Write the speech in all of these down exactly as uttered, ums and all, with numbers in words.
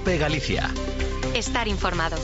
COPE Galicia. Estar informado.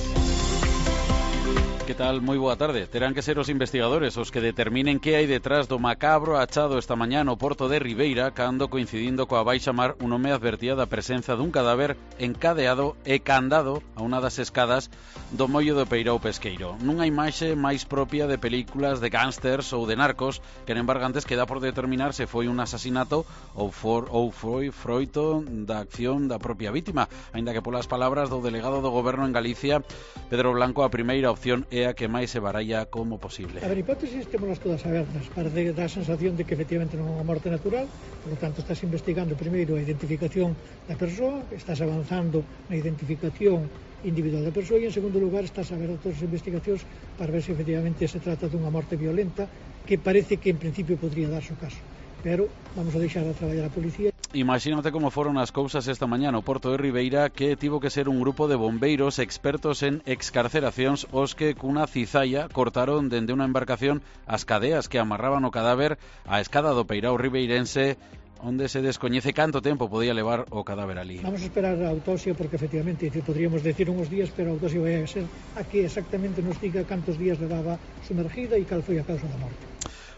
Que tal? Moi boa tarde. Terán que ser os investigadores os que determinen que hai detrás do macabro achado esta mañá no porto de Ribeira, cando coincidindo coa baixa mar un home advertía da presenza dun cadáver encadeado e candado a unha das escadas do mollo do Peirao Pesqueiro. Nunha imaxe máis propia de películas de gángsters ou de narcos, que en embargantes queda por determinar se foi un asasinato ou, for, ou foi froito da acción da propia vítima, aínda que polas palabras do delegado do goberno en Galicia, Pedro Blanco, a primeira opción é a que máis se baralla como posible. A ver, hipótesis temolas todas abertas. Parece que dá a sensación de que efectivamente non é unha morte natural, por lo tanto estás investigando primeiro a identificación da persoa, estás avanzando na identificación individual da persoa e en segundo lugar estás a ver todas as investigacións para ver se efectivamente se trata dunha morte violenta, que parece que en principio podría darse o caso. Pero vamos a deixar a traballar a policía. Imagínate como foron as cousas esta mañá no porto de Ribeira, que tivo que ser un grupo de bombeiros expertos en excarceracións os que cunha cizalla cortaron dende unha embarcación as cadeas que amarraban o cadáver á escada do Peirao ribeirense, onde se descoñece canto tempo podía levar o cadáver ali. Vamos a esperar a autopsia porque efectivamente podríamos decir uns días, pero a autopsia vai a ser a que exactamente nos diga cantos días levaba sumergida e cal foi a causa da morte.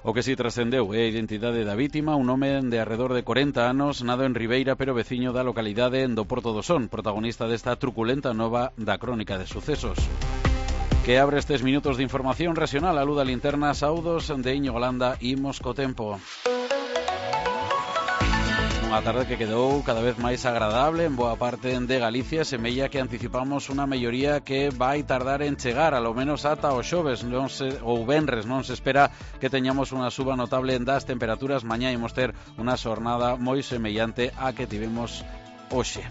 O que si trascendeu é a identidade da vítima, un home de arredor de corenta anos, nado en Ribeira, pero veciño da localidade do Porto do Son, protagonista desta truculenta nova da crónica de sucesos. Que abre estes minutos de información regional a luz da linterna, saudos de Íñigo Landa, imos co tempo. Unha tarde que quedou cada vez máis agradable en boa parte de Galicia, semella que anticipamos unha melloría que vai tardar en chegar, alo menos ata o xoves non se, ou venres, non se espera que teñamos unha suba notable das temperaturas. Mañá imos ter unha xornada moi semellante a que tivemos hoxe.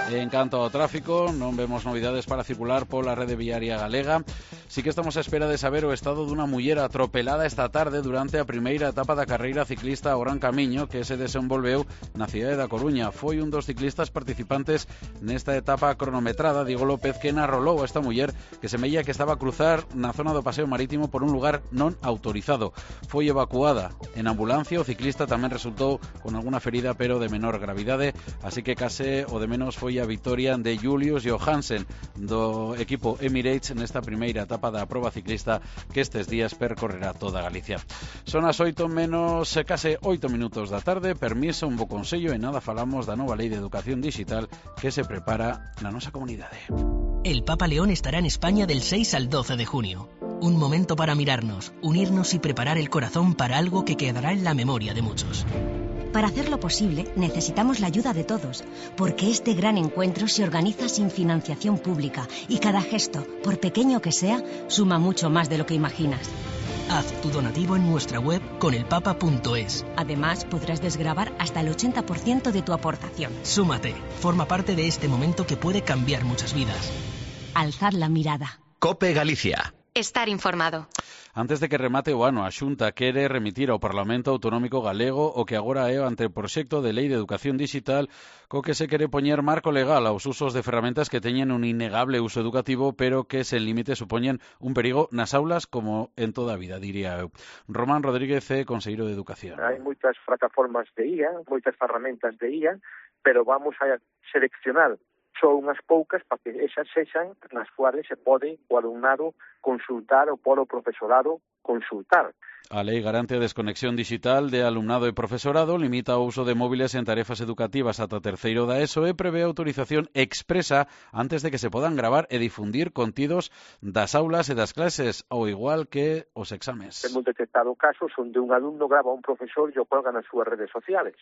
En canto ao tráfico, non vemos novidades para circular pola rede viaria galega. Sí que estamos a espera de saber o estado dunha muller atropelada esta tarde durante a primeira etapa da carreira ciclista ao Gran Camiño que se desenvolveu na cidade da Coruña. Foi un dos ciclistas participantes nesta etapa cronometrada, Diego López, que narrolou a esta muller que semella que estaba a cruzar na zona do paseo marítimo por un lugar non autorizado. Foi evacuada en ambulancia, o ciclista tamén resultou con alguna ferida pero de menor gravidade, así que case o de menos foi a vitoria de Julius Johansen do equipo Emirates nesta primeira etapa da proba ciclista que estes días percorrerá toda Galicia. Son as oito menos case oito minutos da tarde. Permiso, un bo consello e nada falamos da nova lei de educación digital que se prepara na nosa comunidade. El Papa León estará en España del seis al doce de junio. Un momento para mirarnos, unirnos y preparar el corazón para algo que quedará en la memoria de muchos. Para hacerlo posible, necesitamos la ayuda de todos, porque este gran encuentro se organiza sin financiación pública y cada gesto, por pequeño que sea, suma mucho más de lo que imaginas. Haz tu donativo en nuestra web conelpapa punto es. Además, podrás desgravar hasta el ochenta por ciento de tu aportación. Súmate, forma parte de este momento que puede cambiar muchas vidas. Alzad la mirada. COPE Galicia. Estar informado. Antes de que remate o ano, a Xunta quere remitir ao Parlamento Autonómico Galego o que agora é o anteproxecto de Lei de Educación Digital, co que se quere poñer marco legal aos usos de ferramentas que teñen un innegable uso educativo, pero que sen límite supoñen un perigo nas aulas como en toda a vida, diría eu. Román Rodríguez é conselleiro de Educación. Hai moitas plataformas de I A, moitas ferramentas de I A, pero vamos a seleccionar só unhas poucas para que esas sexan nas cuales se pode o alumnado consultar ou polo profesorado consultar. A lei garante a desconexión digital de alumnado e profesorado, limita o uso de móviles en tarefas educativas ata terceiro da ESO e prevé autorización expresa antes de que se podan gravar e difundir contidos das aulas e das clases, ao igual que os exames. Hemos detectado casos onde un alumno grava a un profesor e o colga nas súas redes sociales.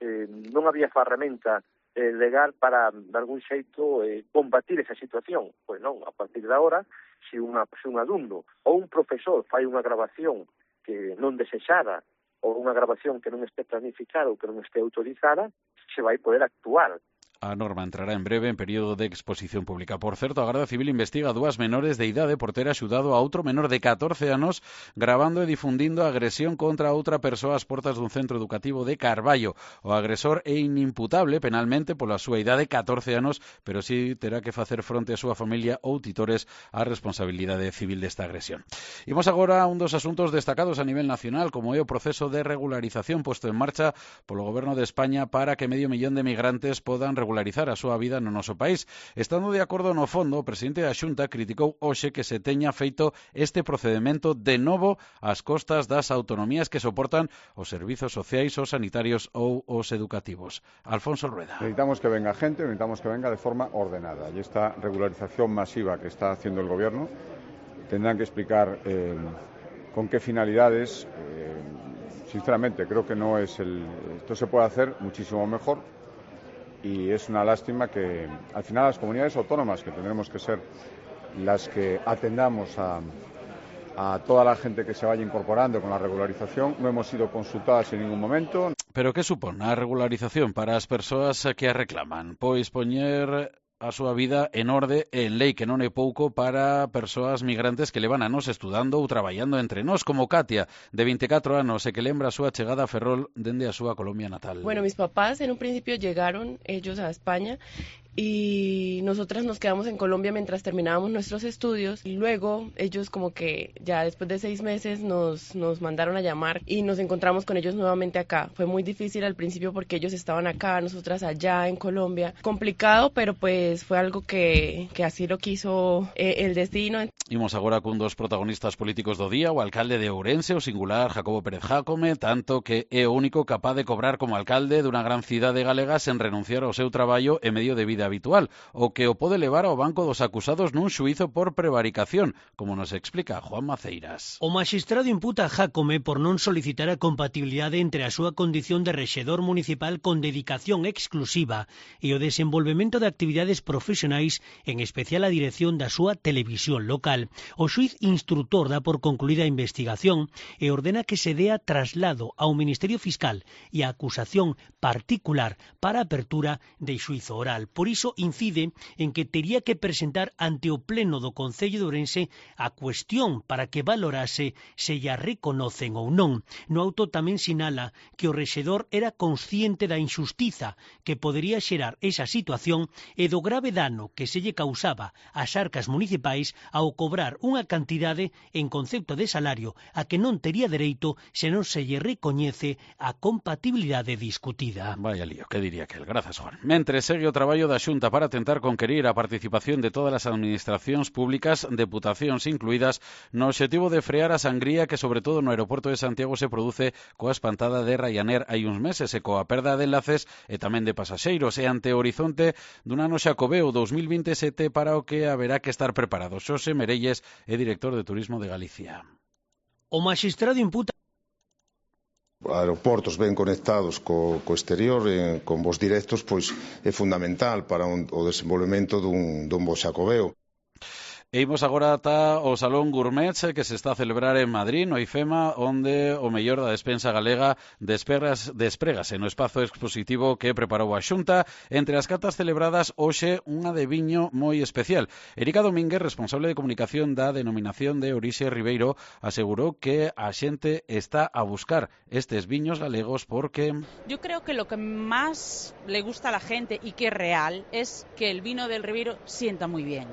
Eh, non había ferramenta Eh, legal para, de algún xeito, eh, combatir esa situación. Pois non, a partir de agora, se, unha, se un alumno ou un profesor fai unha grabación que non desexada ou unha grabación que non este planificada ou que non este autorizada, se vai poder actuar. A norma entrará en breve en período de exposición pública. Por certo, a Garda Civil investiga dúas menores de idade por ter axudado a outro menor de catorce anos gravando e difundindo agresión contra outra persoa ás portas dun centro educativo de Carballo. O agresor é inimputable penalmente pola súa idade, catorce anos, pero sí terá que facer fronte a súa familia ou titores á responsabilidade civil desta agresión. Imos agora a un dos asuntos destacados a nivel nacional, como é o proceso de regularización posto en marcha polo Goberno de España para que medio millón de migrantes podan regularizar regularizar a súa vida no noso país. Estando de acordo no fondo, o presidente da Xunta criticou hoxe que se teña feito este procedimento de novo ás costas das autonomías que soportan os servizos sociais, os sanitarios ou os educativos. Alfonso Rueda. Necesitamos que venga gente, necesitamos que venga de forma ordenada. Y esta regularización masiva que está haciendo el Gobierno tendrán que explicar eh, con qué finalidades. Eh, sinceramente, creo que no es el... Esto se puede hacer muchísimo mejor. Y es una lástima que al final las comunidades autónomas, que tendremos que ser las que atendamos a, a toda la gente que se vaya incorporando con la regularización, no hemos sido consultadas en ningún momento. Pero que supón a regularización para as persoas que a reclaman? Pois poñer a súa vida en orde en lei, que non é pouco para persoas migrantes que levan anos estudando ou traballando entre nós, como Katia, de veinticuatro anos, e que lembra a súa chegada a Ferrol dende a súa Colombia natal. Bueno, mis papás en un principio llegaron ellos a España y nosotras nos quedamos en Colombia mientras terminábamos nuestros estudios y luego ellos como que ya después de seis meses nos, nos mandaron a llamar y nos encontramos con ellos nuevamente acá. Fue muy difícil al principio porque ellos estaban acá, nosotras allá en Colombia. Complicado, pero pues fue algo que, que así lo quiso eh, el destino. Imos agora cun dos protagonistas políticos do día, o alcalde de Ourense, o singular Jacobo Pérez Jácome, tanto que é o único capaz de cobrar como alcalde dunha gran cidade galega sen renunciar ao seu traballo e medio de vida habitual, o que o pode levar ao banco dos acusados nun xuízo por prevaricación, como nos explica Juan Maceiras. O magistrado imputa a Jácome por non solicitar a compatibilidade entre a súa condición de rexedor municipal con dedicación exclusiva e o desenvolvemento de actividades profesionais, en especial a dirección da súa televisión local. O xuiz instrutor dá por concluída a investigación e ordena que se dea traslado ao Ministerio Fiscal e a acusación particular para a apertura de xuizo oral. Por iso incide en que tería que presentar ante o Pleno do Concello de Ourense a cuestión para que valorase se lla reconocen ou non. No auto tamén sinala que o rexedor era consciente da injustiza que podería xerar esa situación e do grave dano que se lle causaba ás arcas municipais ao cobrar unha cantidade en concepto de salario a que non tería dereito se non se lle recoñece a compatibilidade discutida. Vaya lío, que diría que el. Grazas, Juan. Mentre segue o traballo da Xunta para tentar conquerir a participación de todas as administracións públicas, deputacións incluídas, no obxectivo de frear a sangría que sobre todo no aeroporto de Santiago se produce coa espantada de Ryanair hai uns meses e coa perda de enlaces e tamén de pasaxeiros, e ante o horizonte dun ano xacobeo dos mil veintisiete para o que haberá que estar preparado. Xosé Merelles é director de Turismo de Galicia. O magistrado imputa aeroportos ben conectados co, co exterior, eh, con voos directos, pois é fundamental para un, o desenvolvemento dun, dun bo xacobeo. E imos agora ata o Salón Gourmet que se está a celebrar en Madrid, no IFEMA, onde o mellor da despensa galega despregas, desprégase no espazo expositivo que preparou a Xunta. Entre as catas celebradas hoxe unha de viño moi especial. Erika Domínguez, responsable de comunicación da denominación de Orixe Ribeiro, asegurou que a xente está a buscar estes viños galegos porque... Yo creo que lo que más le gusta a la gente y que es real es que el vino del Ribeiro sienta muy bien.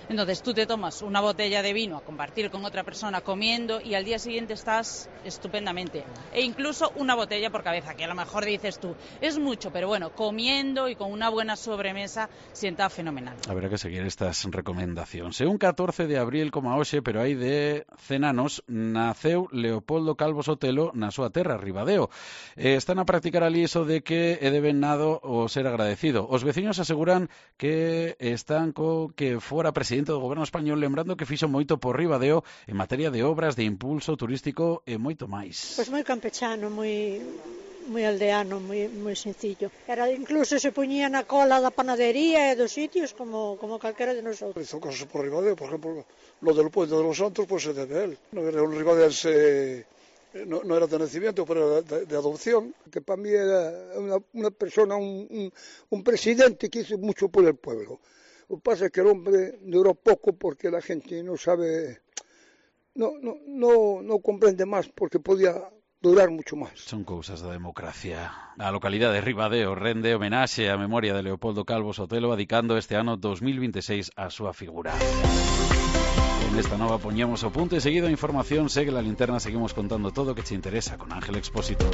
Entonces tú te tomas una botella de vino a compartir con otra persona comiendo y al día siguiente estás estupendamente. E incluso una botella por cabeza, que a lo mejor dices tú, es mucho, pero bueno, comiendo y con una buena sobremesa sienta fenomenal. Habrá que seguir estas recomendacións. E un catorce de abril como hoxe, pero hai de cen anos, naceu Leopoldo Calvo Sotelo na súa terra, Ribadeo. E están a practicar ali iso de que é de ben nado o ser agradecido. Os veciños aseguran que están co que fora presidente do goberno español, lembrando que fixo moito por Ribadeo en materia de obras, de impulso turístico e moito máis. Pois moi campechano, moi moi aldeano, moi moi sencillo. Era incluso se poñía na cola da panadería e dos sitios como como calquera de nosotros. Hizo cosas por Ribadeo, por ejemplo, lo del puente de los Santos, pues se debe a él. No era un ribadense no, no era de nacimiento, pero era de, de adopción, que para mí era una, una persona, un, un, un presidente que hizo mucho por el pueblo. Lo que pasa es que el hombre duró poco porque la gente no sabe, no, no, no, no comprende más porque podía durar mucho máis. Son cousas da democracia. A localidade de Ribadeo rende homenaxe á memoria de Leopoldo Calvo Sotelo, adicando este ano dos mil veintiséis a súa figura. Con esta nova poñemos o punto e seguido a información segue la linterna, seguimos contando todo o que te interesa con Ángel Expósito.